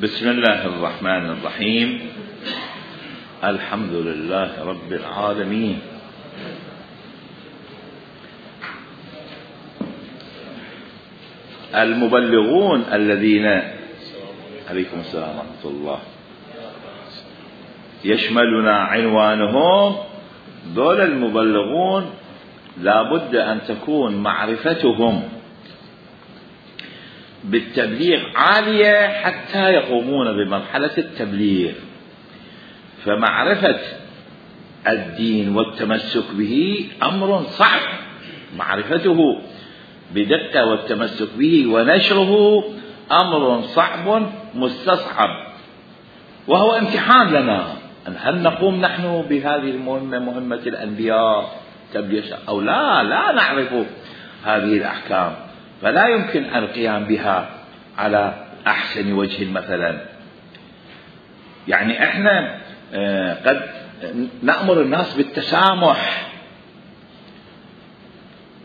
بسم الله الرحمن الرحيم. الحمد لله رب العالمين. المبلغون الذين عليكم السلام ورحمة الله يشملنا عنوانهم، دول المبلغون لابد أن تكون معرفتهم بالتبليغ عالية حتى يقومون بمرحلة التبليغ. فمعرفة الدين والتمسك به أمر صعب، معرفته بدقة والتمسك به ونشره أمر صعب مستصعب، وهو امتحان لنا. هل نقوم نحن بهذه المهمة، مهمة الأنبياء تبليغ أو لا نعرف هذه الأحكام، فلا يمكن القيام بها على أحسن وجه. مثلا يعني احنا قد نأمر الناس بالتسامح،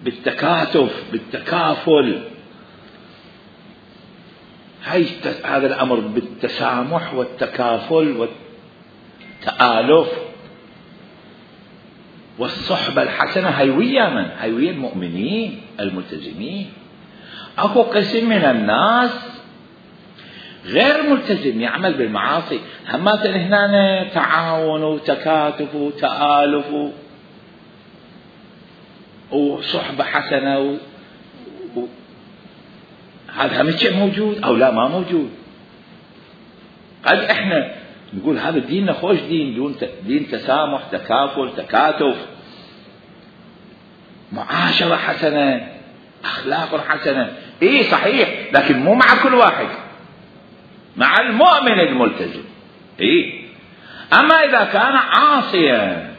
بالتكاتف، بالتكافل. هذا الأمر بالتسامح والتكافل والتآلف والصحبة الحسنة هيوية من هيوية المؤمنين الملتزمين. أكو قسم من الناس غير ملتزم يعمل بالمعاصي، همات هنا تعاون وتكاتف وتآلف وصحبة حسنة هذا هم شيء موجود أو لا ما موجود. قد احنا نقول هذا ديننا خوش دين تسامح، تكافل، تكاتف، معاشرة حسنة، أخلاق حسنة. إيه صحيح، لكن مو مع كل واحد، مع المؤمن الملتزم. إيه أما إذا كان عاصيا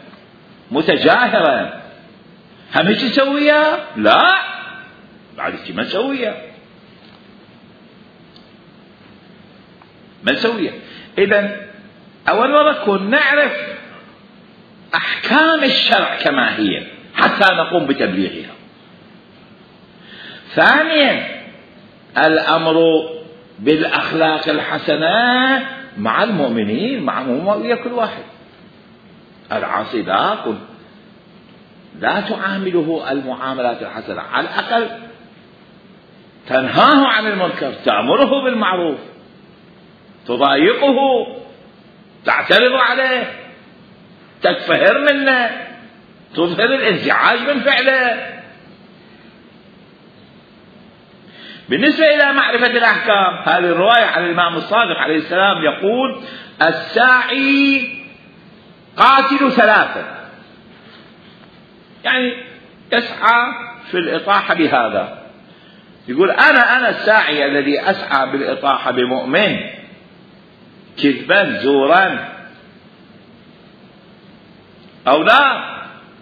متجاهرا هم هيك نسويها؟ لا، بعد هيك ما نسويها. إذن أول مرة نعرف أحكام الشرع كما هي حتى نقوم بتبليغها. ثانيا الأمر بالأخلاق الحسنة مع المؤمنين، مع كل واحد. العاصي لا تعامله المعاملات الحسنة، على الأقل تنهاه عن المنكر، تأمره بالمعروف، تضايقه، تعترض عليه، تكفهر منه، تظهر الانزعاج من فعله. بالنسبة إلى معرفة الأحكام، هذه الرواية عن الإمام الصادق عليه السلام يقول: الساعي قاتل ثلاثة، يعني يسعى في الإطاحة بهذا. يقول أنا الساعي الذي أسعى بالإطاحة بمؤمن كذبا زورا أو لا،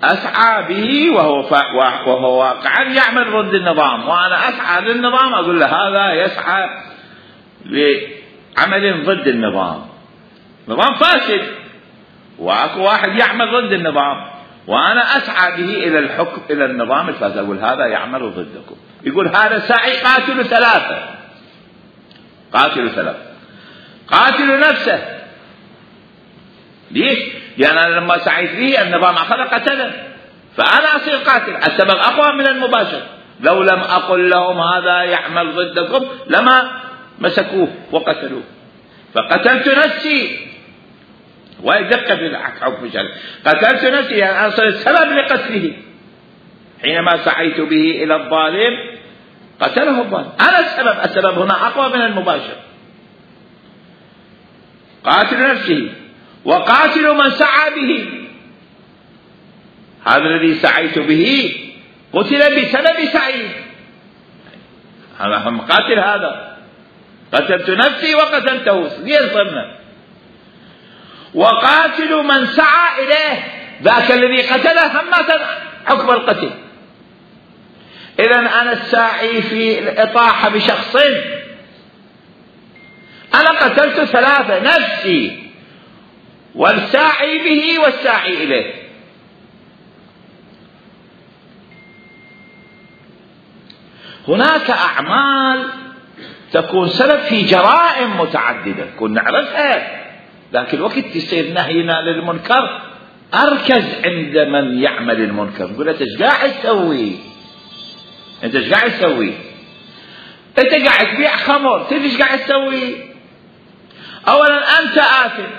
أسعى به وهو واقعا يعمل ضد النظام، وأنا أسعى للنظام، أقول له هذا يسعى لعمل ضد النظام. نظام فاسد وأكو واحد يعمل ضد النظام، وأنا أسعى به إلى الحكم، إلى النظام الفاسد، أقول هذا يعمل ضدكم. يقول هذا ساعي قاتل ثلاثة. قاتل نفسه. ليش؟ لأن أنا لما سعيت به النظام أخذ قتله، فأنا أصير قاتل. السبب أقوى من المباشر. لو لم أقل لهم هذا يعمل ضدكم لما مسكوه وقتلوه، فقتلت نفسي. ويدق في الحكم الشرعي، قتلت نفسي يعني أنا صرت سبب لقتله. حينما سعيت به إلى الظالم قتله الظالم، أنا السبب هنا أقوى من المباشر. قاتل نفسه وقاتل من سعى به. هذا الذي سعيت به قتل بسبب سعيه، هذا هم قاتل. هذا قتلت نفسي وقتلته ليصرنا. وقاتل من سعى إليه، ذاك الذي قتله هم حكم القتل. إذن أنا الساعي في الإطاحة بشخص، أنا قتلت ثلاثة: نفسي والساعي به والساعي إليه. هناك أعمال تكون سبب في جرائم متعددة كنا نعرفها، لكن وقت يصير نهينا للمنكر أركز عند من يعمل المنكر، نقول له أنت ايش قاعد تسوي؟ أنت ايش قاعد تسوي؟ أنت قاعد تبيع خمر، تدري ايش قاعد تسوي؟ أولا أنت آثم،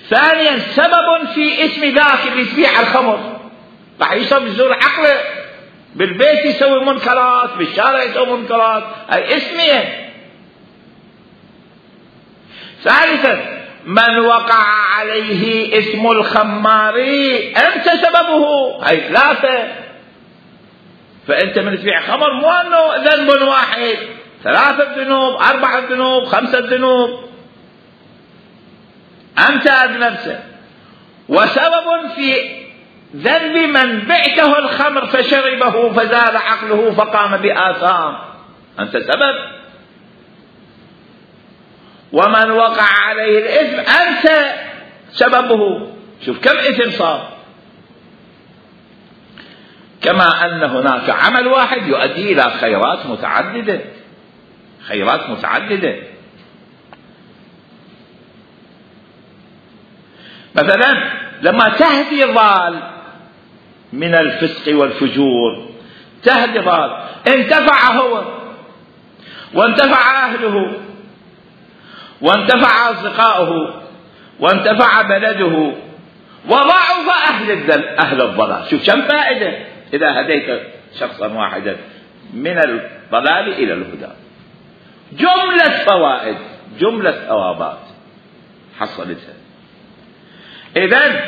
ثانيا سبب في اسم ذاك اللي تبيع الخمر، راح يشرب يزور عقله، بالبيت يسوي منكرات، بالشارع يسوي منكرات، هاي اسمية. ثالثا من وقع عليه اسم الخماري أنت سببه، هاي ثلاثة. فأنت من تبيع خمر مو أنه ذنب واحد، 3 ذنوب، 4 ذنوب، 5 ذنوب، أنت أذنبت. وسبب في ذنب من بعته الخمر فشربه فزاد عقله فقام بآثام، أنت سبب. ومن وقع عليه الإثم أنت سببه. شوف كم إثم صار. كما أن هناك عمل واحد يؤدي إلى خيرات متعددة، خيرات متعددة. مثلا لما تهدي ضال من الفسق والفجور، تهدي ضال، انتفع هو وانتفع أهله وانتفع أصدقائه وانتفع بلده وضعف أهل الضلال. شوف كم فائدة إذا هديت شخصا واحدا من الضلال إلى الهدى. جملة فوائد، جملة ثوابات حصلتها. إذن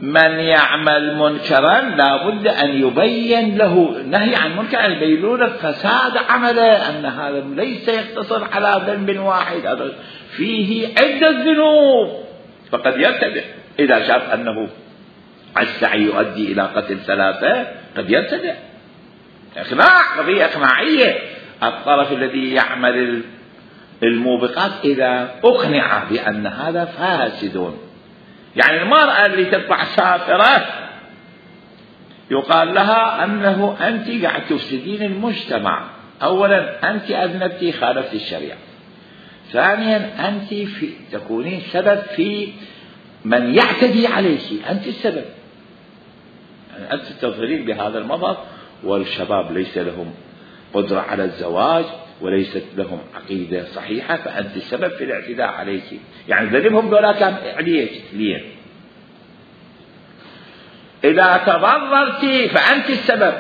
من يعمل منكرا لا بد أن يبين له، نهي عن منكر أن يبين له فساد عمله، أن هذا ليس يقتصر على ذنب واحد، هذا فيه عدة ذنوب. فقد يرتدع إذا شاف أنه السعي يؤدي إلى قتل 3 قد يرتدع. إقناع، قضية إقناعية. الطرف الذي يعمل الموبقات إذا أقنع بأن هذا فاسد، يعني المرأة اللي تطلع سافرة يقال لها أنه أنت قاعد تفسدين المجتمع. أولا أنت أذنبتي، خالفت الشريعة. ثانيا أنت تكونين سبب في من يعتدي عليك، أنت السبب. يعني أنت تظهرين بهذا المظهر، والشباب ليس لهم قدرة على الزواج وليست لهم عقيدة صحيحة، فأنت السبب في الاعتداء عليك. يعني ذنبهم دولا كان عليك ليه. إذا تضررت فأنت السبب،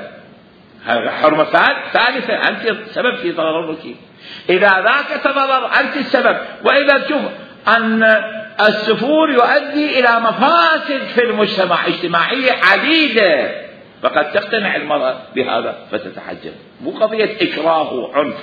حرمة ثالثة، أنت السبب في تضررك. إذا ذاك تضرر أنت السبب. وإذا تشوف أن السفور يؤدي إلى مفاسد في المجتمع اجتماعية عديدة، فقد تقتنع المرأة بهذا فتتحجب. مو قضية إكراه وعنف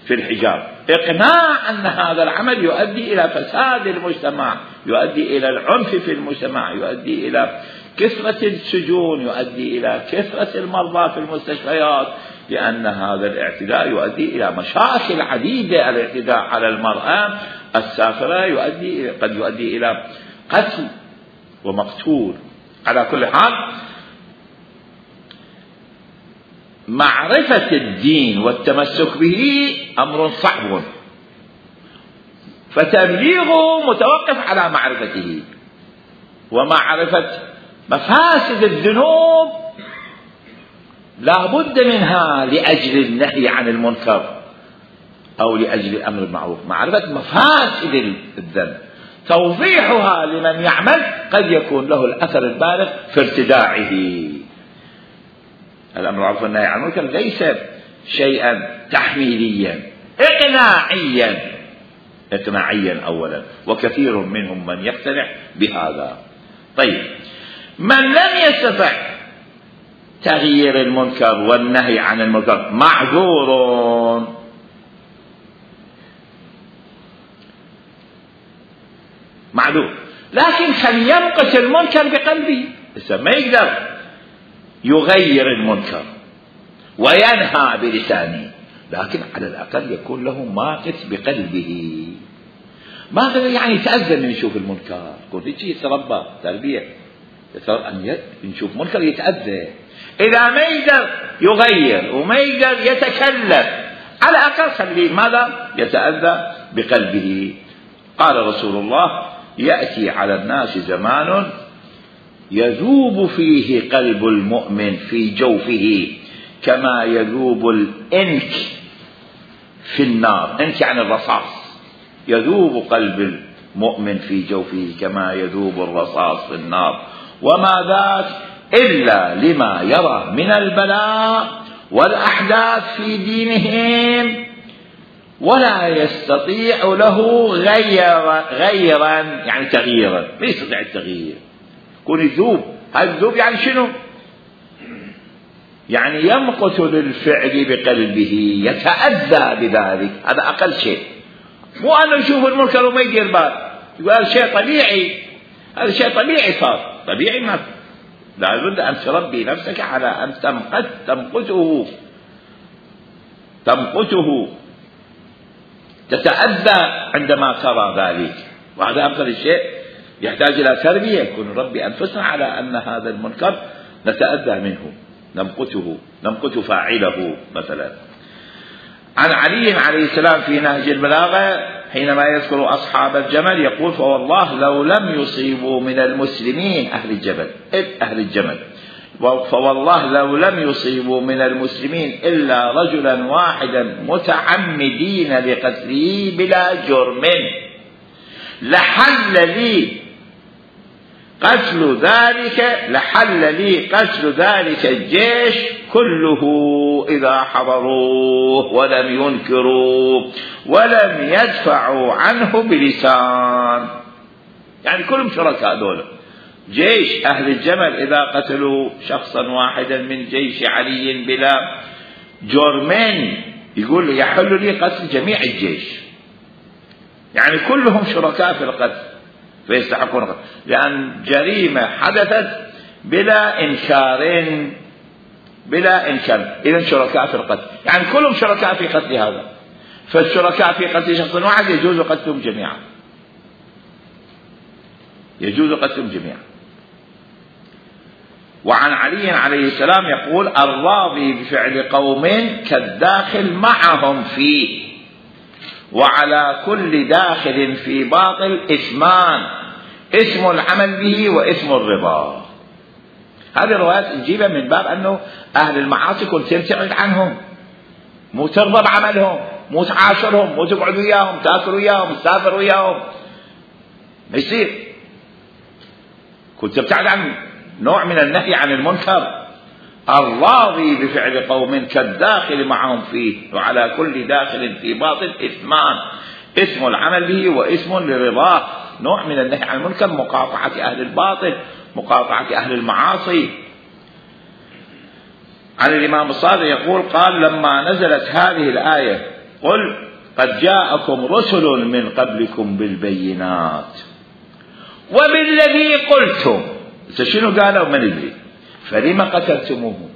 في الحجاب، إقناع أن هذا العمل يؤدي إلى فساد المجتمع، يؤدي إلى العنف في المجتمع، يؤدي إلى كثرة السجون، يؤدي إلى كثرة المرضى في المستشفيات، لأن هذا الاعتداء يؤدي إلى مشاكل عديدة. الاعتداء على المرأة السافرة قد يؤدي إلى قتل ومقتول. على كل حال معرفة الدين والتمسك به أمر صعب، فتبليغه متوقف على معرفته، ومعرفة مفاسد الذنوب لا بد منها لأجل النهي عن المنكر أو لأجل الأمر بالمعروف. معرفة مفاسد الذنب، توضيحها لمن يعمل قد يكون له الأثر البالغ في ارتداعه. الأمر بالمعروف والنهي عن المنكر ليس شيئا تحميليا، إقناعيا أولا، وكثير منهم من يقتنع بهذا. طيب، من لم يستطع تغيير المنكر والنهي عن المنكر معذور، لكن خل يمقت المنكر بقلبه. ما يقدر يغير المنكر وينهى بلسانه، لكن على الأقل يكون له ماقت بقلبه. ما يعني يتأذى من يشوف المنكر، يكون في شيء يتربى تربية، أن يشوف منكر يتأذى. إذا ما يقدر يغير وما يقدر يتكلم على الأقل خليه ماذا يتأذى بقلبه. قال رسول الله: يأتي على الناس زمان يذوب فيه قلب المؤمن في جوفه كما يذوب الإنك في النار. إنك يعني الرصاص. يذوب قلب المؤمن في جوفه كما يذوب الرصاص في النار، وما ذاك إلا لما يرى من البلاء والأحداث في دينهم، ولا يستطيع له غيرا يعني تغييرا. لا يستطيع التغيير، يكون يذوب. هذا الذوب يعني شنو؟ يعني يمقت للفعل بقلبه، يتأذى بذلك. هذا أقل شيء. مو أنه يشوف المنكر وما يدير بال، يقول هذا شيء طبيعي، هذا شيء طبيعي صار. طبيعي ما لا بد أن تربي نفسك على أن تمقته، تتأذى عندما ترى ذلك. وهذا أفضل شيء، يحتاج إلى تربية. يكون نربي أنفسنا على أن هذا المنكر نتأذى منه، نمقت فاعله. مثلا عن علي عليه السلام في نهج البلاغة حينما يذكر أصحاب الجمل يقول: فوالله لو لم يصيبوا من المسلمين أهل الجمل فوالله لو لم يصيبوا من المسلمين إلا رجلا واحدا متعمدين لقتله بلا جرم لحل لي قتل ذلك الجيش كله إذا حضروه ولم ينكروا ولم يدفعوا عنه بلسان. يعني كلهم شركاء دول. جيش أهل الجمل إذا قتلوا شخصا واحدا من جيش علي بلا جرمين يقول يحل لي قتل جميع الجيش. يعني كلهم شركاء في القتل فيستحقون القتل، لأن جريمة حدثت بلا إنكار. إذن شركاء في القتل، يعني كلهم شركاء في قتل هذا. فالشركاء في قتل شخص واحد يجوز قتلهم جميعا. وعن علي عليه السلام يقول: الراضي بفعل قوم كالداخل معهم فيه، وعلى كل داخل في باطل إثمان، اسم العمل به واسم الرضا. هذه الروايات نجيبها من باب أنه أهل المعاصي كنت تبتعد عنهم، مو ترضى بعملهم، مو تعاشرهم، مو تقعد وياهم، تاكل وياهم، تسافر وياهم، ما يصير. كنت تبتعد عن نوع من النهي عن المنكر. الراضي بفعل قوم كالداخل معهم فيه، وعلى كل داخل في باطل إثمان، اسم العمل به واسم لرضاه. نوع من النهي عن المنكر مقاطعة أهل الباطل، مقاطعة أهل المعاصي. عن الإمام الصادق يقول: قال: لما نزلت هذه الآية قل قد جاءكم رسل من قبلكم بالبينات وبالذي قلتم. شنو قالوا؟ ما ندري. فلما قتلتموهم؟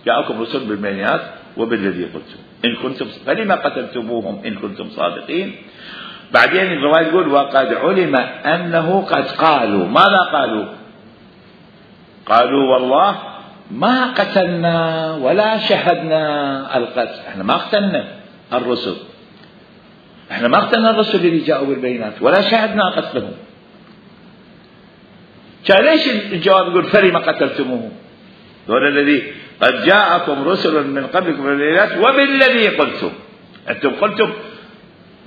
جاءكم رسل بالبينات وبالذي قلتم إن كنتم، فلما قتلتموهم إن كنتم صادقين. بعدين الرواية يقول: وقد علم أنه قد قالوا. ماذا قالوا؟ قالوا: والله ما قتلنا ولا شهدنا القتل. احنا ما قتلنا الرسل، احنا ما قتلنا الرسل اللي جاءوا بالبينات ولا شهدنا قتلهم. ليش الجواب يقول: فلما قتلتموهم؟ دول الذي قد جاءكم رسل من قبلكم بالبينات وبالذي قلتم. انتم قلتم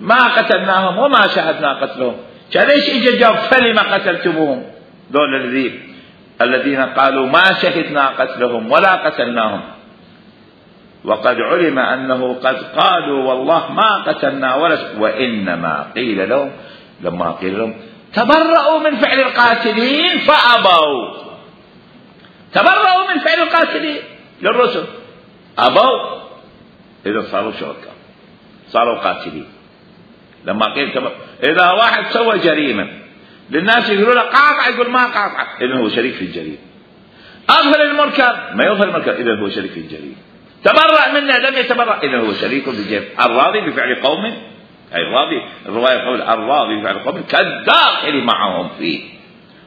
ما قتلناهم وما شهدنا قتلهم، ليش اجى الجواب فلما قتلتموهم؟ دول الذين قالوا ما شهدنا قتلهم ولا قتلناهم. وقد علم أنه قد قالوا والله ما قتلنا وإنما قيل لهم، لما قيل لهم تبرؤوا من فعل القاتلين فأبوا. تبرؤوا من فعل القاتلين للرسل، أبوا، إذا صاروا شركاء، صاروا قاتلين. لما قيل إذا واحد سوى جريمة للناس يقولوا له قاطع، يقول ما قاطع، إذن هو شريك في الجريمة. أظهر المنكر، ما يظهر المنكر، إذن هو شريك في الجريمة. تبرأ منا، لم يتبرأ، إذن هو شريك في الجريمة. الراضي بفعل قوم، أي الراضي، الرواية تقول الراضي بفعل قوم كالداخل معهم فيه،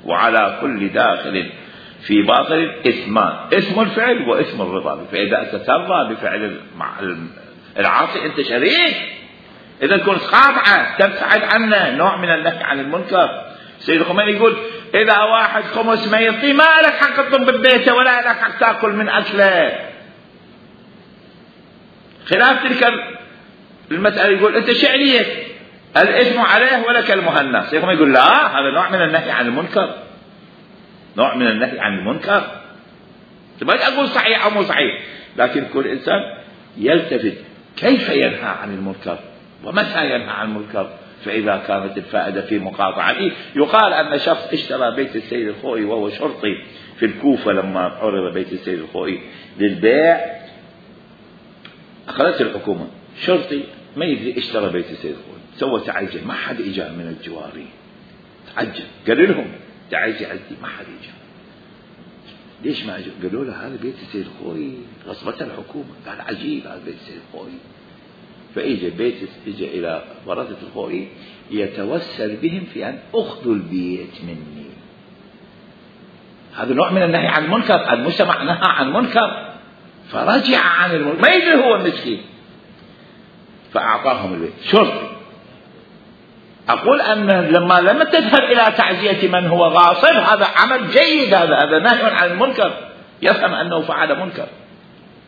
وعلى كل داخل في باطل إثمان، اسم الفعل واسم الرضا. فإذا تترضى بفعل العاصي أنت شريك. إذا كنت خاضعة تبتعد عنه، نوع من النهي عن المنكر. سيد الخميني يقول إذا واحد خمس ما يعطي، ما لك حق تطلب ببيته ولا لك حق تأكل من أكله. خلاف تلك المسألة يقول أنت شعرية الإثم عليه ولك المهنة. سيد الخميني يقول لا، هذا نوع من النهي عن المنكر، نوع من النهي عن المنكر. ما أقول صحيح أو مو صحيح، لكن كل إنسان يلتفت كيف ينهى عن المنكر ومتى ينهى عن المنكر. فإذا كانت الفائدة في مقاطعته، يقال أن شخص اشترى بيت السيد الخوئي وهو شرطي في الكوفة، لما عرض بيت السيد الخوئي للبيع أخذته الحكومة، شرطي ما يدري اشترى بيت السيد الخوئي، سوى تعجل، ما حد إجا من الجواري، تعجل قالوا لهم تعجل ما حد إجا. ليش ما أجوا؟ قالوا له هذا بيت السيد الخوئي غصبته الحكومة. قال عجيب هذا بيت السيد الخوئي. فإجا إلى ورثة الخوئي يتوسل بهم في أن أخذوا البيت مني. هذا نوع من النهي عن المنكر. المجتمع نهى عن منكر فرجع عن المنكر، ما يدري هو المسكين، فأعطاهم البيت شرطي. أقول أن لما تذهب إلى تعزية من هو غاصب هذا عمل جيد، هذا نهي عن المنكر، يفهم أنه فعل منكر،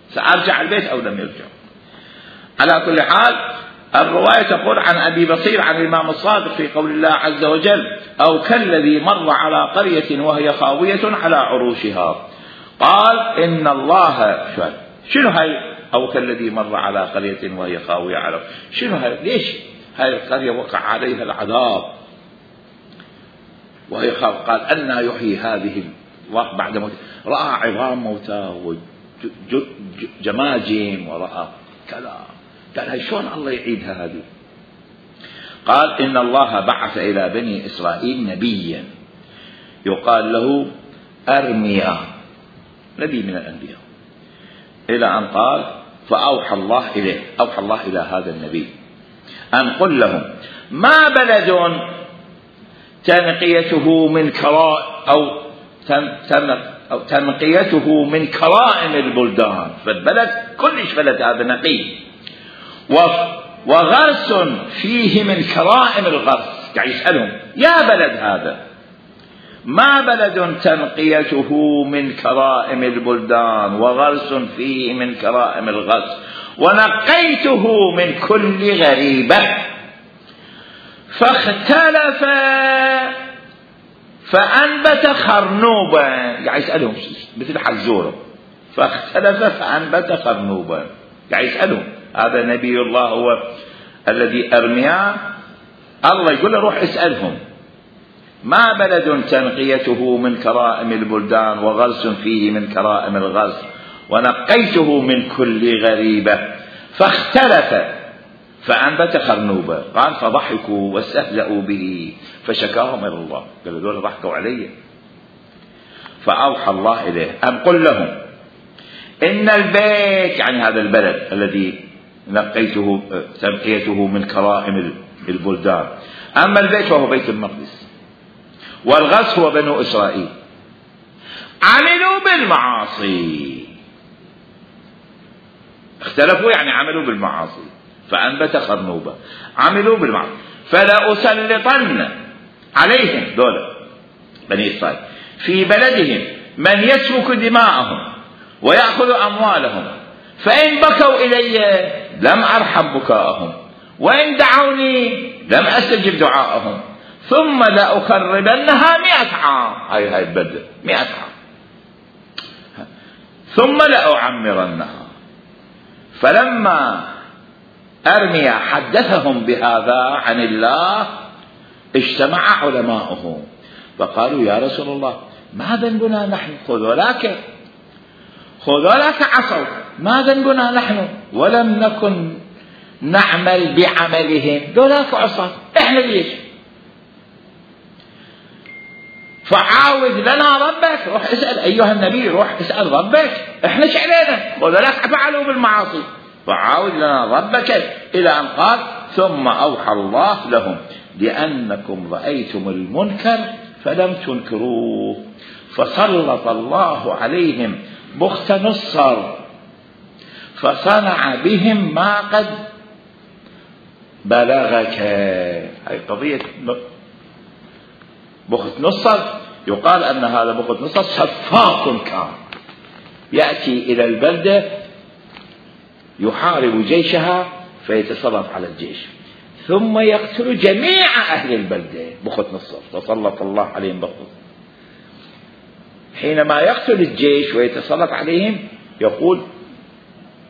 سأرجع البيت أو لم يرجع. على كل حال الرواية تقول عن أبي بصير عن الإمام الصادق في قول الله عز وجل أو كالذي مر على قرية وهي خاوية على عروشها. قال إن الله شنو هاي أو كالذي مر على قرية وهي خاوية على شنو هاي؟ ليش هاي القرية وقع عليها العذاب وهي خاوية؟ قال أن يحيي هذه بعد موت، رأى عظام موتى وجماجم ورأى كذا، قال هاي شلون الله يعيدها هذه؟ قال إن الله بعث إلى بني إسرائيل نبيا يقال له أرميا، نبي من الأنبياء، إلى أن قال فأوحى الله إليه، أوحى الله إلى هذا النبي أن قل لهم ما بلد تنقيته من كراء أو تنقيته من كرائم البلدان، فالبلد كلش بلد هذا نقي، وغرس فيه من كرائم الغرس. قاعد يسألهم يا بلد هذا ما بلد تنقيته من كرائم البلدان وغرس فيه من كرائم الغرس ونقيته من كل غريبة فاختلف فأنبت خرنوبا. قاعد يسألهم مثل حزورة، فاختلف فأنبت خرنوبا. قاعد يسألهم هذا نبي الله هو الذي أرمياه، الله يقول له روح اسألهم ما بلد تنقيته من كرائم البلدان وغرس فيه من كرائم الغرس ونقيته من كل غريبة فاختلف فأنبت خرنوبا. قال فضحكوا واستهزأوا به فشكاهم إلى الله، قالوا دول ضحكوا علي. فأوحى الله إليه أن قل لهم إن البيت، يعني هذا البلد الذي نقيته تنقيته من كرائم البلدان، أما البيت وهو بيت المقدس والغرس هو بنو إسرائيل، عملوا بالمعاصي، اختلفوا يعني عملوا بالمعاصي فأنبت خرنوبا، عملوا بالمعاصي فلأسلطن عليهم دولة بني إسرائيل في بلدهم من يسفك دماءهم ويأخذ أموالهم، فإن بكوا إلي لم أرحم بكاءهم وإن دعوني لم أستجب دعاءهم ثم لأخربنها 100 عام. هاي البلدة 100 عام ثم لأعمرنها. فلما أرميا حدثهم بهذا عن الله اجتمع علماؤه فقالوا يا رسول الله ما ذنبنا نحن؟ خذولاك عصوا، ما ذنبنا نحن ولم نكن نعمل بعملهم، ذولاك عصوا احنا ليش؟ فعاود لنا ربك، روح اسأل أيها النبي، روح اسأل ربك، احنا ايش علينا؟ وذولاك فعلوا بالمعاصي، فعاود لنا ربك، إلى أن قال ثم أوحى الله لهم لأنكم رأيتم المنكر فلم تنكروه فسلط الله عليهم بخت نصر فصنع بهم ما قد بلغك. هاي قضية بخت نصر. يقال أن هذا بخت نصر سفاك كان يأتي إلى البلدة يحارب جيشها فيتسلط على الجيش ثم يقتل جميع أهل البلدة. بخت نصر فسلط الله عليهم بخت. حينما يقتل الجيش ويتسلط عليهم يقول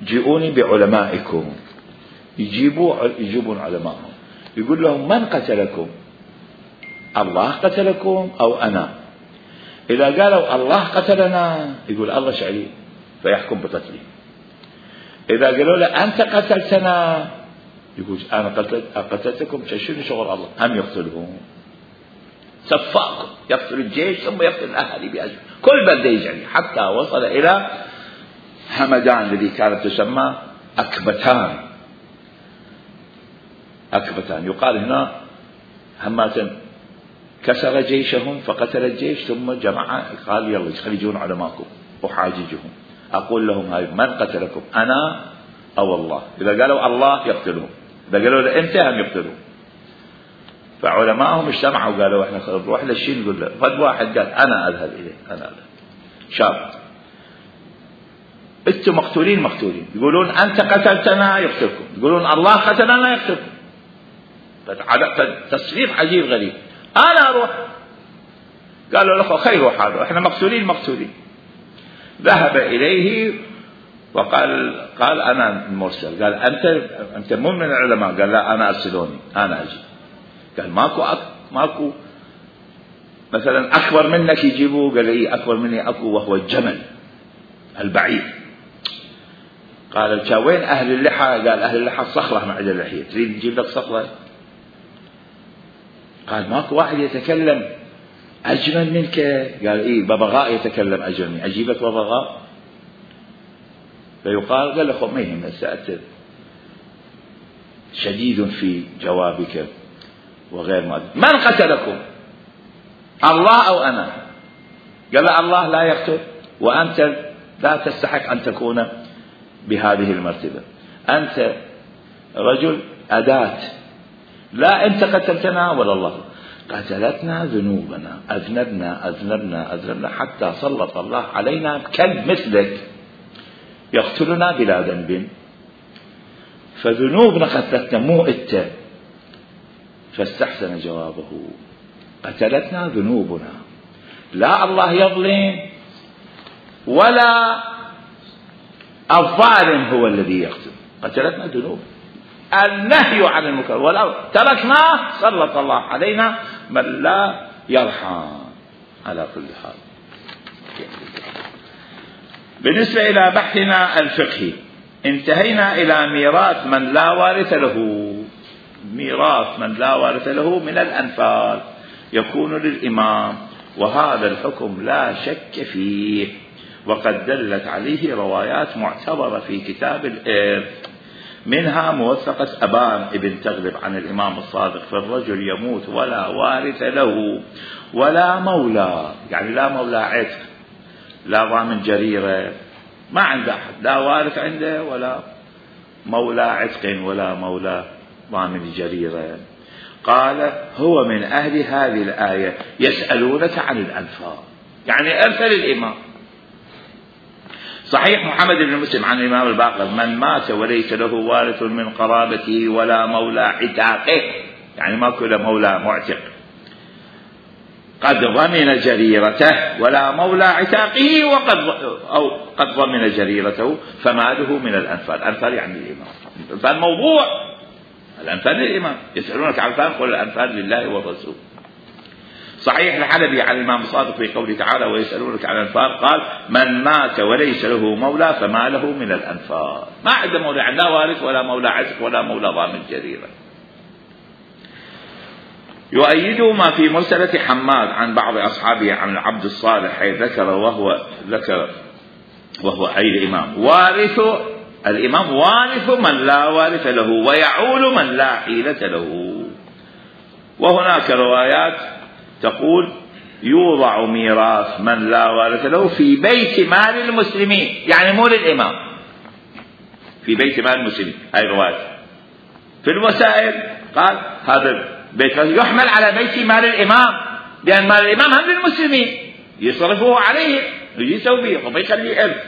جئوني بعلمائكم. يجيبون علمائهم يقول لهم من قتلكم؟ الله قتلكم أو أنا؟ إذا قالوا الله قتلنا يقول الله شعلي فيحكم بقتلي. إذا قالوا له أنت قتلتنا يقول أنا قتلتكم. شنو شغل الله؟ هم يقتلهم. سفاك يقتل الجيش ثم يقتل الأهالي بأجل كل بلدة يجري حتى وصل إلى همدان الذي كانت تسمى أكبتان. يقال هنا همات كسر جيشهم فقتل الجيش ثم جمع قال يلا يخرجون علماءكم وحاججهم. أقول لهم هاي من قتلكم أنا أو الله؟ إذا قالوا الله يقتلهم، إذا قالوا له أنت هم يقتلون. فعلماءهم اجتمعوا وقالوا احنا نروح للشين نقول له. فد واحد قال أنا أذهب إليه. أنا أذهب شاب انتم مقتولين يقولون أنت قتلتنا يقتلكم، يقولون الله قتلنا يقتلكم. تصريف عجيب غريب. أنا أروح. قالوا له خير حاله احنا مقتولين. ذهب إليه وقال أنا المرسل. قال أنت مو من العلماء؟ قال لا أنا أرسلوني أنا أجي. قال ماكو مثلا أكبر منك يجيبوه؟ قال لي أكبر مني أكو وهو الجمل البعيد. قال وين أهل اللحى؟ قال أهل اللحى الصخرة مع اللحية، تريد نجيب لك صخرة؟ قال ماكو واحد يتكلم أجمل منك؟ قال إيه ببغاء يتكلم أجمل مني، أجيبك ببغاء؟ فيقال قال له ما يهم سأتت شديد في جوابك وغير ما. من قتلكم الله أو أنا؟ قال الله لا يقتل وأنت لا تستحق أن تكون بهذه المرتبة. أنت رجل أداة، لا أنت قتلتنا ولا الله. قتلتنا ذنوبنا، أذنبنا حتى سلط الله علينا كلب مثلك يقتلنا بلا ذنب. فذنوبنا قتلتنا مو أنت. فاستحسن جوابه قتلتنا ذنوبنا، لا الله يظلم ولا الظالم هو الذي يقتل. قتلتنا ذنوب، النهي عن المنكر ولو تركناه سلط الله علينا من لا يرحم. على كل حال بالنسبة إلى بحثنا الفقهي انتهينا إلى ميراث من لا وارث له. ميراث من لا وارث له من الأنفال يكون للإمام، وهذا الحكم لا شك فيه، وقد دلت عليه روايات معتبرة في كتاب الإرث، منها موثقة أبان ابن تغلب عن الإمام الصادق في الرجل يموت ولا وارث له ولا مولى، يعني لا مولى عتق لا ضامن جريرة، ما عنده أحد، لا وارث عنده ولا مولى عتق ولا مولى ضامن جريرة. قال هو من أهل هذه الآية يسألونك عن الأنفال، يعني أرث الإمام. صحيح محمد بن مسلم عن الإمام الباقر من مات وليس له وارث من قرابته ولا مولى عتاقه، يعني ما كل مولى معتق، قد ضمن جريرته ولا مولى عتاقه قد ضمن جريرته فماله من الأنفال. الأنفال يعني الإمام، الأنفال موضوع، الأنفال للإمام. يسألونك عن الأنفال قل الأنفال لله والرسول. صحيح الحلبي عن الإمام الصادق في قوله تعالى ويسألونك عن الأنفال قال من مات وليس له مولى فما له من الأنفال، ما عنده مولى، لا وارث ولا مولى عتق ولا مولى ضامن جريرة. يؤيد ما في مرسلة حماد عن بعض أصحابه عن العبد الصالح حيث ذكر وهو أي الإمام الإمام وارث من لا وارث له ويعول من لا حيلة له. وهناك روايات تقول يوضع ميراث من لا وارث له في بيت مال المسلمين، يعني مو للإمام، في بيت مال المسلمين. هاي الرواية. في الوسائل قال هذا بيت يحمل على بيت مال الإمام، لأن مال الإمام هم للمسلمين يصرفه عليه يجي يسوي به وبيخليه إرث.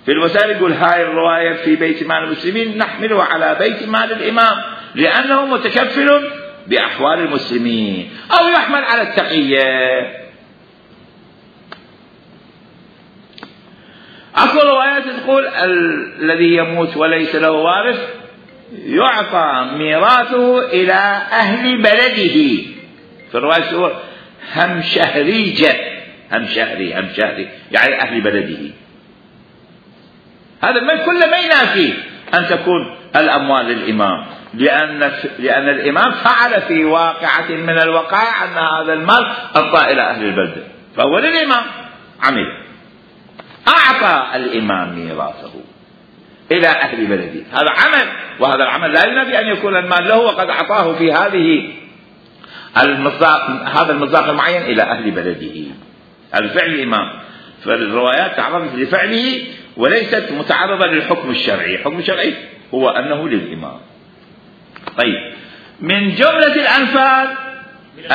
في الوسائل يقول هاي الرواية في بيت مال المسلمين نحمله على بيت مال الإمام لأنه متكفل بأحوال المسلمين، أو يحمل على التقية. أكو روايات تقول الذي يموت وليس له وارث يعطى ميراثه إلى أهل بلده. في الرواية تقول هم شهريجة، هم شهري يعني أهل بلده. هذا ما كل ما ينافي أن تكون الأموال للإمام، لأن الإمام فعل في واقعة من الوقائع أن هذا المال أعطى إلى أهل البلدة، فهو للإمام عمل، أعطى الإمام ميراثه إلى أهل بلده. هذا عمل، وهذا العمل لا ينافي أن يكون المال له وقد أعطاه في هذا المصداق المعين إلى أهل بلده. هذا فعل الإمام، فالروايات تعرضت لفعله وليست متعرضة للحكم الشرعي. الحكم الشرعي هو أنه للإمام. طيب، من جملة الأنفال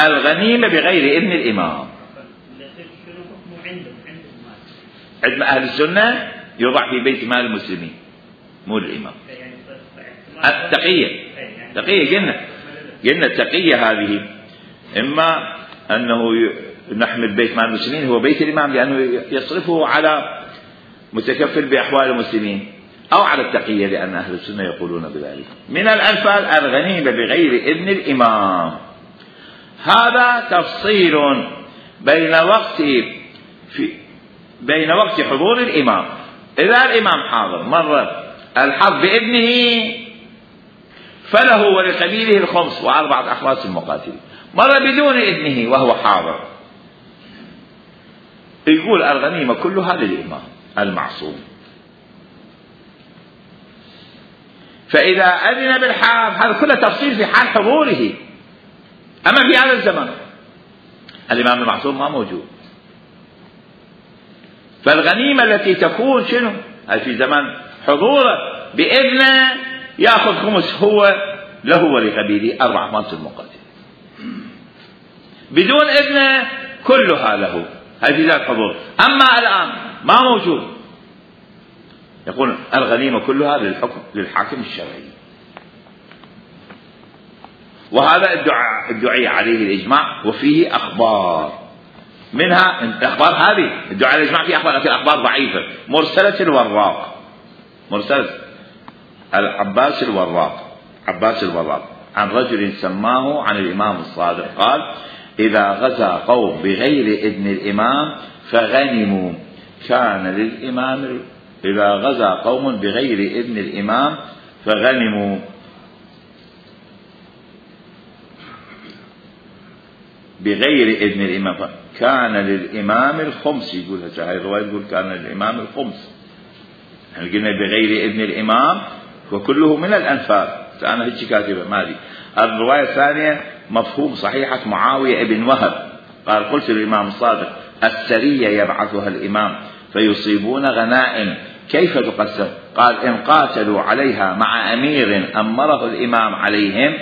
الغنيمة بغير إذن الإمام. عند أهل السنة يوضع في بيت مال المسلمين مو الإمام. التقية قلنا التقية هذه إما أنه نحمل بيت مال المسلمين هو بيت الإمام لأنه يصرفه على متكفل بأحوال المسلمين، أو على التقية لأن أهل السنة يقولون بذلك. من الأنفال الغنيمة بغير إذن الإمام. هذا تفصيل بين وقت حضور الإمام. إذا الإمام حاضر مر الحرب بإذنه فله ولقبيله الخمس وأربعة أخماس المقاتلين. مر بدون إذنه وهو حاضر يقول الغنيمة كلها للإمام المعصوم. فإذا أذن بالحرب هذا كله تفصيل في حال حضوره. أما في هذا الزمن الإمام المعصوم ما موجود، فالغنيمة التي تكون شنو؟ هل في زمن حضوره بإذنه يأخذ خمس هو له ولقبيله 4 أخماس المقاتل. بدون إذنه كلها له، هل في ذلك حضور. أما الآن ما موجود، يقول الغنيمة كلها للحاكم الشرعي. وهذا ادعي عليه الإجماع، وفيه أخبار منها الأخبار هذه ادعي على الإجماع، في أخبار لكن أخبار ضعيفة. مرسلة الوراق، مرسلة عباس الوراق عن رجل سماه عن الإمام الصادق قال: إذا غزا قوم بغير إذن الإمام فغنموا كان للإمام. إذا غزا قوم بغير إذن الإمام فغنموا بغير إذن الإمام كان للإمام الخمس. يقول هذه الرواية يقول كان للإمام الخمس. احنا قلنا بغير إذن الإمام وكله من الأنفال، فأنا هيك كاتبة مالي. الرواية الثانية مفهوم صحيحة معاوية ابن وهب قال: قلت للإمام الصادق: السرية يبعثها الإمام فيصيبون غنائم كيف تقسم؟ قال: إن قاتلوا عليها مع أمير أمره الإمام عليهم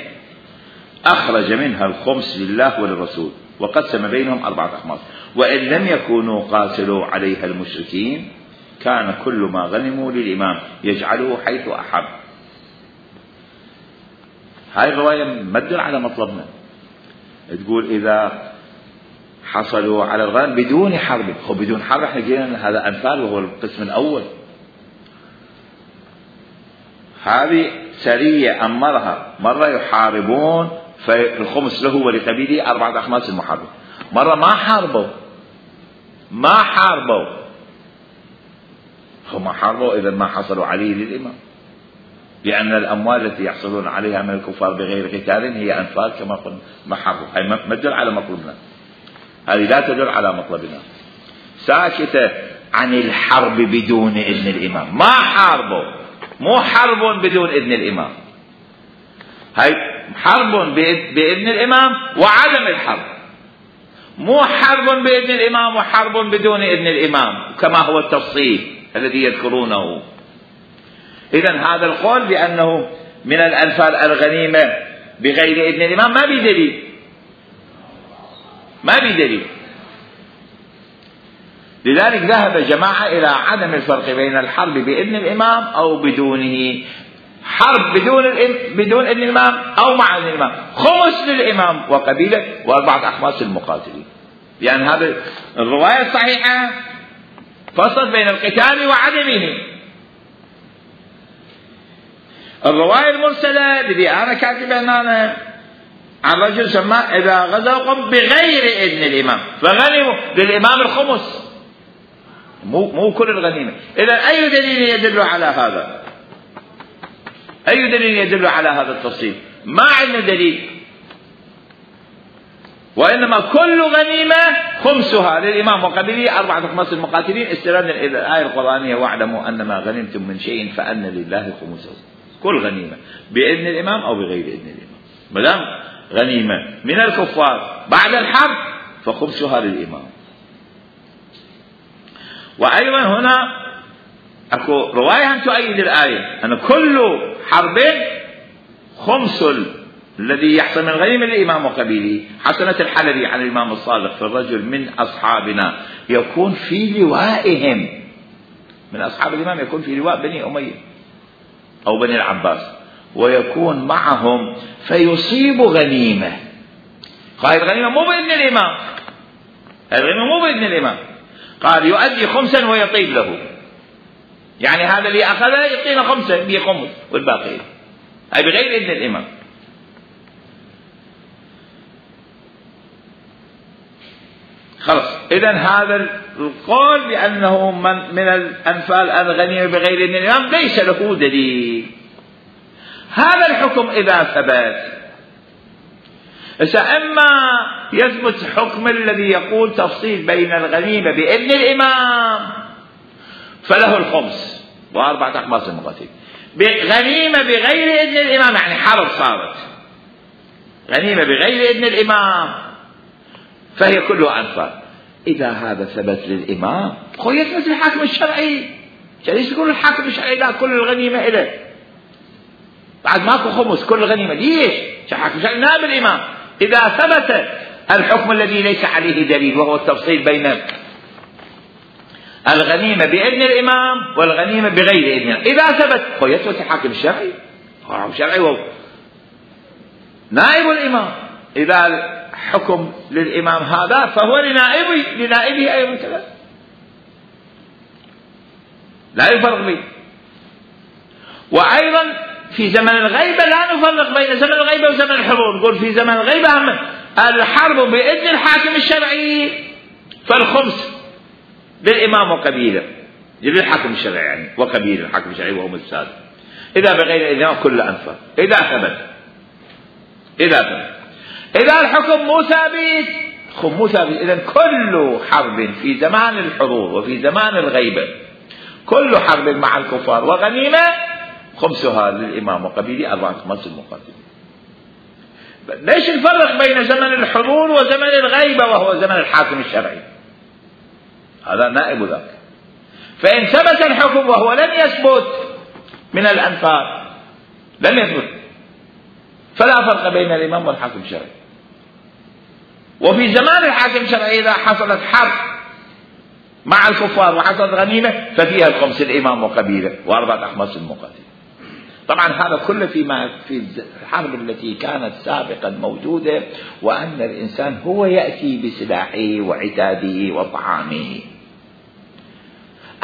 أخرج منها الخمس لله وللرسول وقسم بينهم 4 أخماس، وإن لم يكونوا قاتلوا عليها المشركين كان كل ما غنموا للإمام يجعله حيث أحب. هاي الرواية مدل على مطلبنا، تقول إذا حصلوا على الغنم بدون حرب. هو بدون حرب احنا قلنا هذا أنفال وهو القسم الأول. هذه سرية أمرها مرة يحاربون فالخمس له ولقبيله 4 أخماس المحارب. مرة ما حاربوا هم حاربوا إذا ما حصلوا عليه للإمام، لأن الأموال التي يحصلون عليها من الكفار بغير قتال هي أنفال كما قلنا ما حاربوا. هي ما تدل على مطلبنا، هذه لا تدل على مطلبنا. ساكتة عن الحرب بدون إذن الإمام، ما حاربوا، مو حرب بدون إذن الإمام. هاي حرب بإذن الإمام وعدم الحرب، مو حرب بإذن الإمام وحرب بدون إذن الإمام كما هو التفصيل الذي يذكرونه. إذن هذا القول بأنه من الأنفال الغنيمة بغير إذن الإمام ما بدليل، ما بدليل. لذلك ذهب جماعة إلى عدم الفرق بين الحرب بإذن الإمام أو بدونه. حرب بدون إذن الإمام أو مع إذن الإمام، خمس للإمام وقبيلة وأربعة أخماس للمقاتلين. لأن هذه الرواية الصحيحة فصل بين القتال وعدمه. الرواية المرسلة الذي أنا كاتبها هنا عن رجل سماه إذا غزوا قوم بغير إذن الإمام فغنموا للإمام الخمس، مو كل الغنيمة. إذا أي دليل يدل على هذا؟ أي دليل يدل على هذا التفصيل؟ ما عندنا دليل، وإنما كل غنيمة خمسها للإمام وقبيله أربعة أخماس المقاتلين، استنادا إلى الآية القرآنية واعلموا أن ما غنمتم من شيء فأن لله خمسه. كل غنيمة بإذن الإمام أو بغير إذن الإمام، ما دام غنيمة من الكفار بعد الحرب فخمسها للإمام. وأيضا هنا أكو رواية هم تؤيد الآية أن كل حرب خمس الذي يحصل من غنيمة للإمام وقبيله. حسنة الحلبي عن الإمام الصادق في الرجل من أصحابنا يكون في لوائهم، من أصحاب الإمام يكون في لواء بني أمية أو بني العباس ويكون معهم فيصيب غنيمة. قال الغنيمة مو بإذن الإمام، الغنيمة مو بإذن الإمام، قال يؤدي خمسا ويطيب له، يعني هذا اللي أخذه يعطينا خمسة بخمس والباقي أي بغير إذن الإمام. خلاص. إذن هذا القول بأنه من الأنفال الغنيمة بغير إذن الإمام ليس له دليل. هذا الحكم إذا ثبت إما يثبت حكم الذي يقول تفصيل بين الغنيمة بإذن الإمام فله الخمس وأربعة أخماس المقاتلين. غنيمة بغير إذن الإمام يعني حرب صارت، غنيمة بغير إذن الإمام فهي كلها أنفال. إذا هذا ثبت للإمام هو يثبت الحاكم الشرعي. ليش يقول الحاكم الشرعي لا كل الغنيمة إله بعد ماكو خمس كل الغنيمة؟ ليش؟ الحاكم الشرعي نائب الإمام. إذا ثبت الحكم الذي ليس عليه دليل وهو التفصيل بين الغنيمة بإذن الإمام والغنيمة بغير إذن، إذا ثبت هو يثبت الحاكم الشرعي، الحاكم الشرعي هو نائب الإمام. إذا حكم للإمام هذا فهو لنائبه أيضا كذا، لا يفرق به. وأيضا في زمن الغيبة لا نفرق بين زمن الغيبة وزمن الحضور. نقول في زمن الغيبة الحرب بإذن الحاكم الشرعي فالخمس للإمام وقبيله للحاكم الشرعي يعني وقبيله الحاكم الشرعي وهم السادة. إذا بغير إذن كل أنفال إذا ثبت. إذا الحكم مو ثابت إذن كل حرب في زمان الحضور وفي زمان الغيبة كل حرب مع الكفار وغنيمة خمسها للإمام وقبيله أربعة أخماس المقاتلين. ليش نفرق بين زمن الحضور وزمن الغيبة وهو زمن الحاكم الشرعي؟ هذا نائب ذاك. فإن ثبت الحكم وهو لم يثبت من الأنفال لم يثبت فلا فرق بين الإمام والحاكم الشرعي. وفي زمان الحاكم الشرعي إذا حصلت حرب مع الكفار وحصلت غنيمة ففيها الخمس الإمام وقبيله وأربعة أخماس المقاتلين. طبعا هذا كله في الحرب التي كانت سابقا موجودة وأن الإنسان هو يأتي بسلاحه وعتاده وطعامه.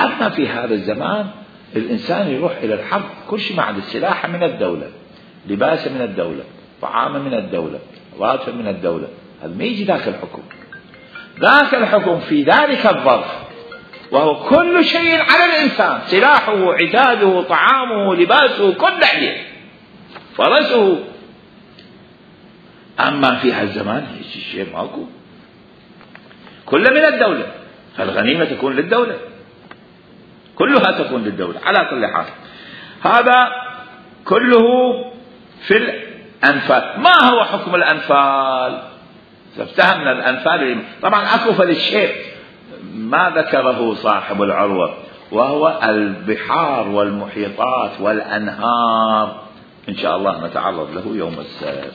أما في هذا الزمان الإنسان يروح إلى الحرب كل شيء مع السلاح من الدولة، لباس من الدولة، طعام من الدولة، راتب من الدولة. هذا ما يجي ذاك الحكم. ذاك الحكم في ذلك الظرف وهو كل شيء على الإنسان، سلاحه عتاده طعامه لباسه كل عليه فرسه. أما في هالزمان الشيء ماكو، كله من الدولة، فالغنيمة تكون للدولة، كلها تكون للدولة على كل حال. هذا كله في الأنفال. ما هو حكم الأنفال؟ افتهمنا الأنفال طبعا أكو فللشيء ما ذكره صاحب العروة وهو البحار والمحيطات والأنهار، إن شاء الله نتعرض له يوم السبت.